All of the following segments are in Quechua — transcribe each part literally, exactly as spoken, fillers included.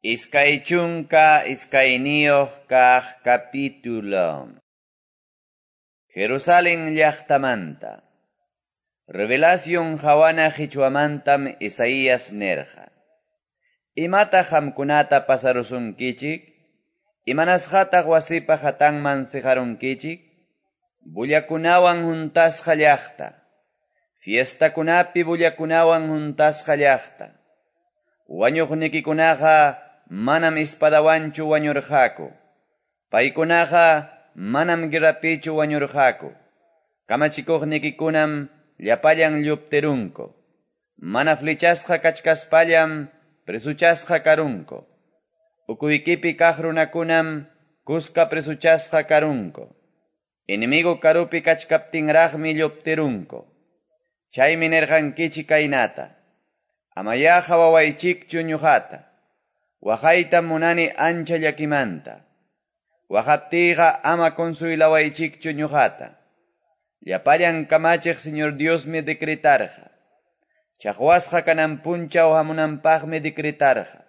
Iskay chunka iskayniyuq kaq capítulo. Jerusalén llaqtamanta. Revelación qawana qichwamantam Isaías nirqa. Imataq qamkunata pasarusunkichik? Imanasqataq wasipa hatanman siqarunkichik? Bullakunawan huntasqa llaqta. Fiestakunapi bullakunawan huntasqa llaqta. Wañuqnikikunaqa manam espadawanchu wañurqaku. Paykunaqa manam guerrapichu wañurqaku. Kamachikuqnikikunam llapallan lluptirunku. Mana flechasqa kachkaspallam presuchasqa karunku. Ukuykipi kaq runakunam kuska presuchasqa karunku. Enemigo karupi kachkaptinraqmi lluptirunku. Chaymi nirqankichik kaynata. Amayá qhawawaychikchu ñuqata. Waqaytam munani ancha llakimanta. Waqaptiyqa ama consuelawaychikchu ñuqata. Llapallan kamachiq Señor Diosmi decretarqa. Chaqwasqa kanan punchaw hamunanpaqmi decretarqa.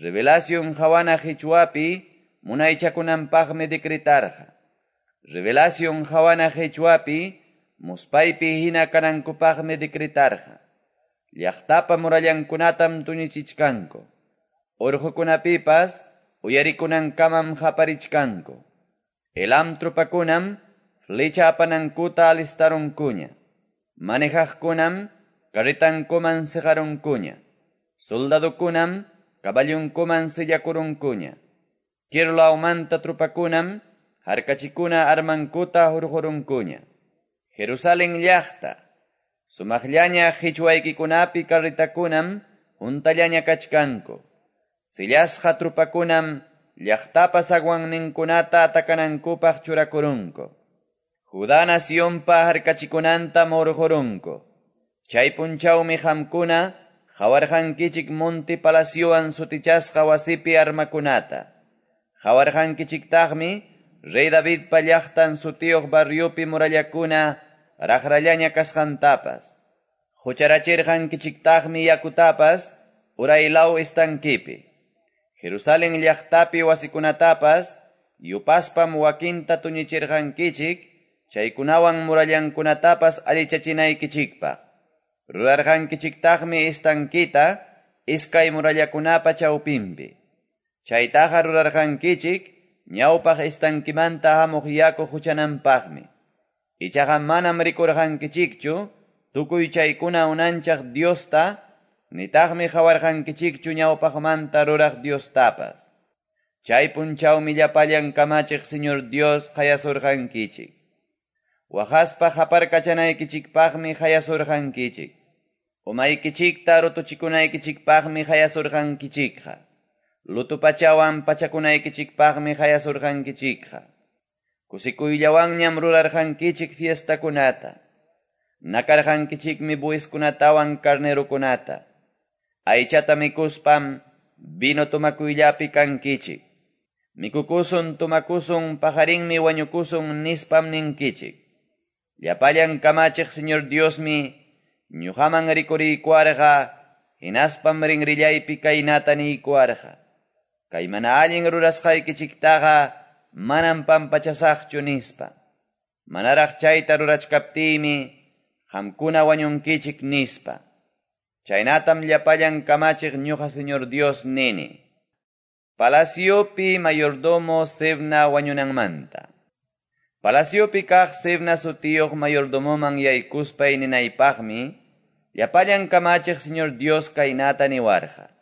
Revelación qawana qichwapi munaychakunanpaqmi decretarqa. Revelación qawana qichwapi muspaypi hina kanankupaqmi decretarqa. Llaqtapa murallankunatam tuñichichkanku. Urqukunapipas uyarikunankamam qaparichkanku. Elam tropakunam flecha apanankuta alistarunkuña. Manejaqkunam carretankuman siqarunkuña. Soldadokunam caballunkuman sillakurunkuña. Kir lawmanta tropakunam harkachikuna armankuta hurqurunkuña. Jerusalén llaqta, sumaqllaña qichwaykikunapi carretakunam huntallaña kachkanku. Sillasqa trupakunam llaqtapa zaguanninkunata atakanankupaq churakurunku. Judá nacionpa harkachikunanta hurqurunku. Chay punchawmi qamkuna qawarqankichik monte palaciowan sutichasqa wasipi armakunata. Qawarqankichiktaqmi Rey Davidpa llaqtan sutiyuq barriopi murallakuna raqrallaña kasqantapas. Hucharachirqankichiktaqmi yakutapas uraylaw estanquipi. Jerusalén llaqtapi wasikunatapas yupaspam wakinta tuñichirqankichik chaykunawan murallankunatapas allichachinaykichikpaq. Rurarqankichiktaqmi estanquita iskay murallakunapa chawpinpi. Chaytaqa rurarqankichik ñawpaq estanquimanta hamuq yaku huchananpaqmi. Ichaqa manam rikurqankichikchu tukuy chaykuna unanchaq Diosta, nitaqmi qawarqankichikchu ñawpaqmanta ruraq Diostapas. Chay punchawmi llapallan kamachiq Señor Dios qayasurqankichik. Waqaspa qaparkachanaykichikpaqmi qayasurqankichik. Umaykichikta rutuchikunaykichikpaqmi qayasurqankichikqa. Luto pachawan pachakunaykichikpaqmi qayasurqankichikqa. Kusikuyllawanñam rurarqankichik fiestakunata. Nakarqankichikmi bueskunatawan carnerokunata. Aychata mikuspam vino tomakuyllapi kankichik. Mikukusun tomakusun pajarinmi wañukusun nispam ninkichik. Llapallan kamachiq Señor Diosmi ñuqaman rikuriykuwarqa hinaspam rinrillaypi kaynata niykuwarqa. Kay mana allin rurasqaykichiktaqa manam pampachasaqchu nispa. Manaraq chayta rurachkaptiymi qamkuna wañunkichik nispa. Chaynatam llapallan kamachiq ñuqa Señor Dios nini. Palaciopi mayordomo Sebna wañunanmanta. Palaciopi kaq Sebna sutiyuq mayordomoman yaykuspay ninaypaqmi llapallan kamachiq Señor Dios kaynata niwarqa.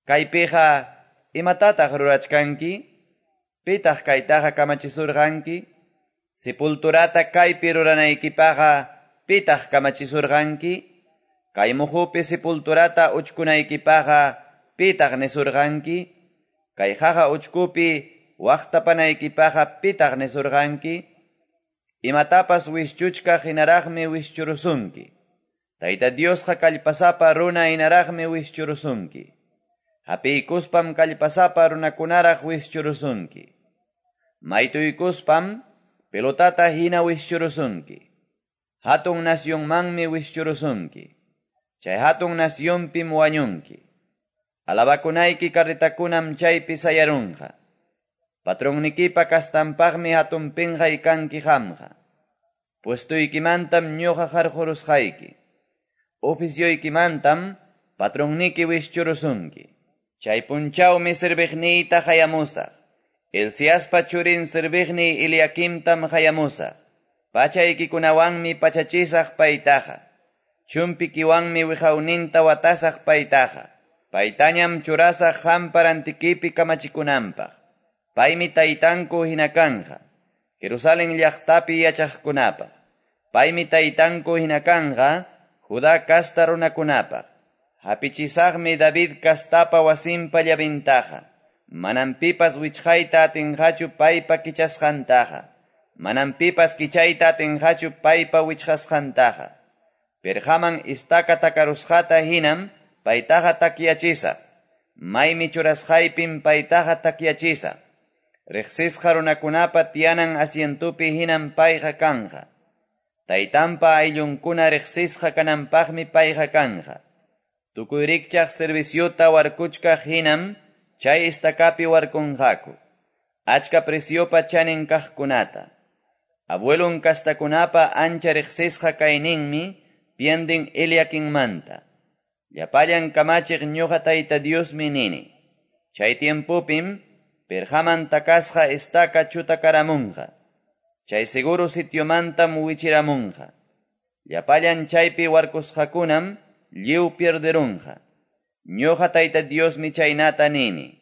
Kaypiqa imatataq rurachkanki? Pitaq kaytaqa kamachisurqanki? Sepulturata kaypi ruranaykipaqa pitaq kamachisurqanki? Kay muhupi sepulturata uchkunaykipaqa pitaq nisurqanki? Kay qaqa uchkupi waqtapanaykipaqa pitaq nisurqanki? Imatapas wischuchkaq hinaraqmi wischurusunki. Tayta Diosqa kallpasapa runa hinaraqmi wischurusunki. Hapiykuspam kallpasapa runakunaraq wischurusunki. Maytuykuspam pelotata hina wischurusunki. Hatun nacionmanmi wischurusunki. Chay hatun nacionpim wañunki. Alabakunayki carretakunam chaypi sayarunqa. Patronnikipa kastanpaqmi hatun penqay kanki qamqa. Puestuykimantam ñuqa qarqurusqayki. Oficioykimantam patronniki wischurusunki. Chay punchawmi serviqniyta qayamusaq. Hilciaspa churin serviqniy Eliaquimtam qayamusaq. Pachaykikunawanmi pachachisaq paytaqa. Chumpikiwanmi wiqawninta watasaq paytaqa. Paytañam churasaq qampa rantikipi kamachikunanpaq. Paymi taytanku hina kanqa. Jerusalén llaqtapi yachaqkunapaq. Paymi taytanku hina kanqa Judá kasta runakunapaq. Hapichisaqmi David kastapa wasinpa llavintaqa. Manam pipas wichqayta atinqachu paypa kichasqantaqa. Manam pipas kichayta atinqachu paypa wichqasqantaqa. Perqaman estaca takarusqata hinam paytaqa takyachisaq. Maymi churasqaypim paytaqa takyachisaq. Riqsisqa runakunapa tiyanan asientupi hinam payqa kanqa. Taytanpa ayllunkuna riqsisqa kananpaqmi payqa kanqa. Tukuy rikchaq serviciota warkuchkaq hinam chay estacapi warkunqaku. Achka preciopa chanin kaqkunata. Abuelon kastakunapa ancha riqsisqa kayninmi pienden Eliaquinmanta. Llapallan kamachiq ñuqa Tayta Diosmi nini. Chay tiempopim perqaman takasqa estaca chutakaramunqa. Chay seguro sitiomantam wichiramunqa. Llapallan chaypi warkusqakunam lliw pierderunqa. Ñuqa Tayta Diosmi chaynata nini.